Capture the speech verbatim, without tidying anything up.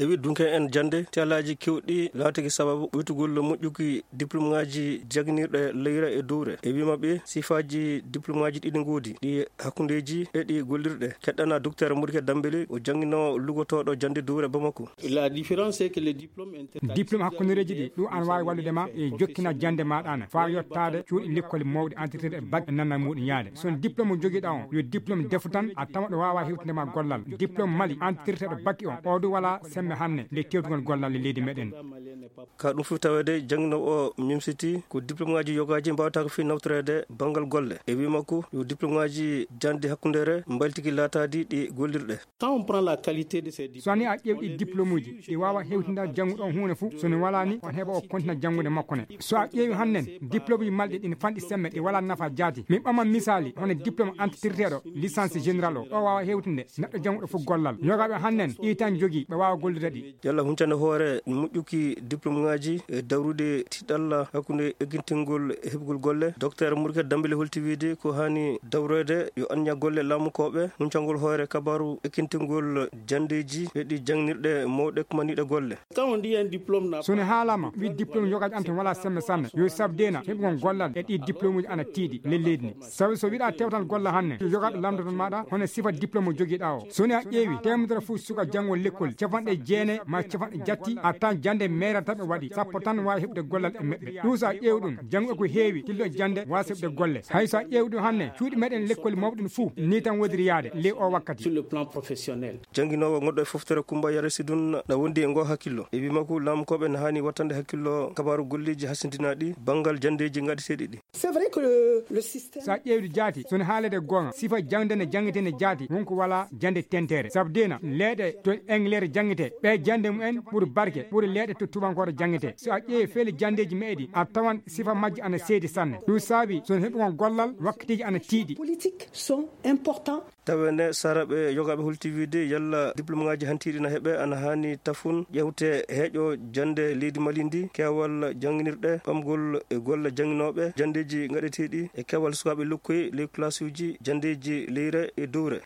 E wi dunke en jannde, tiyalaaji keewɗi laatiki sababu ɓuytugol moƴƴuki diplôme ŋaaji jannginirɗe leyre e dowre. E wi maɓɓe, sifaaji diplôme ŋaaji ɗiɗi ngoodi, ɗi hakkundeeji e ɗi gollirɗe. Keɗɗana Docteur Modiké Dembélé, o jannginoowo lugotooɗo jannde dowre Bamako. La différence, c'est que les diplômes inter- Diplôme hakkundereeji ɗi, ɗum an waawi wallude ma e jokkina jannde maaɗa an, faa yottaade cuuɗi lekkoli mawɗi entretirɗe bac e nanna muɗum yaade. So diplôme jogiiɗa on, yo diplôme defu tan, a tama ɗo waawa hewtinde ma gollal. Diplôme Mali entretirteeɗo bac on, o du wala sembe hannde nde tewtugol gollal e leydi meɗen. Ka ɗum fof taweede, jannginoowo o mimsiti ko diplôme ŋaaji yogaaji mbaawata ko fii nawtoreede banngal golle. E wii makko, yo diplôme ŋaaji jannde hakkundeere mbaltiki laataadi ɗi gollirɗe. Quand on prend la qualité de ces diplômes, so ni a ƴeewi ɗi diplôme uji, ɗi waawa hewtindaade jannguɗo on huunde fof, so ni walaa ni, on heɓa o kontina janngude makko ne. So a ƴeewi hannden, diplôme uji malɗi ɗin fanɗi semme, ɗi walaa nafa jaati. Min ɓama misaali, hono diplôme entretirteeɗo, licence générale o, o waawa hewtinde neɗɗo jannguɗo fof gollal. Yogaaɓe hannden, ɗi tan jogii, ɓe waawa gollude ɗi. Yalla huncande hoore moƴƴuki diplôme ŋaaji e dawrude tiiɗalla hakkunde ekkintingol e heɓugol golle? Docteur Modiké Dembélé holti wiide ko haani dawreede yo anniya golle laamukooɓe huncangol hoore kabaaru ekkintingol janndeeji e ɗi jannginirɗe mawɗe kumaniiɗe golle. Quand on dit un diplôme n'a So ne haalama, wi diplôme yogaaji an tan wala sembe sanne. Yo sabu deena, heɓugol gollal e ɗi diplôme uji ana tiiɗi le leydi ni. Sabu so wiɗa tewtal golle hanne, yogaaɓe lamdoton maɗa, hono sifa diplôme jogiɗa o. So ni a ƴeewi, teemedere fof suka janngo lekkol, capanɗe jeenayi ma capanɗe jatti, a tan jannde meerata ɓe waɗi, sappo tan waawi heɓde gollal e meɓɓe. Ɗum so a ƴeewi ɗum, janngo ko heewi, tillo jannde waasa heɓde golle. Hay so a ƴeewi ɗum hanne, cuuɗi meɗen lekkol mawɗi ɗin fof, ni tan wodiri yaade, ley o wakkati. Sur le plan professionnel. Jannginoowo gonɗo e foftere Kumba Yare Sidun na wondi e ngoo hakkillo. E wii makko, laamukooɓe na haani wattande hakkillo kabaaru golleeji hasindinaaɗi banngal janndeeji ngaɗeteeɗi ɗi. C'est vrai que le, le système So a ƴeewdi jaati, so ne haalede goonga, sifa jangde ne janngete ne jaati, won ko wala jannde tentere. Sabu deena, leeɗe to Englere janngete, ɓe jannde mumen ɓuri barke, ɓuri leeɗe to tubankore janngete. So a ƴeewi feele janndeeji meɗi, a tawan sifa majji ana seedi sanne. Ɗum saabi, so ne heɓi on gollal, wakkatiiji ana tiiɗi. Politiques sont importants. Taweende, saraɓe yogaaɓe holti wiide yalla diplôme ŋaaji hantiiɗi na heɓe, ana haani tafun ƴeewte heeƴo jannde leydi Mali ndi, keewal jannginirɗe, ɓamgol e golle jannginooɓe, janndeeji ngaɗeteeɗi e keewal sukaaɓe lokkoyi ley classe uji janndeeji leyre e dowre.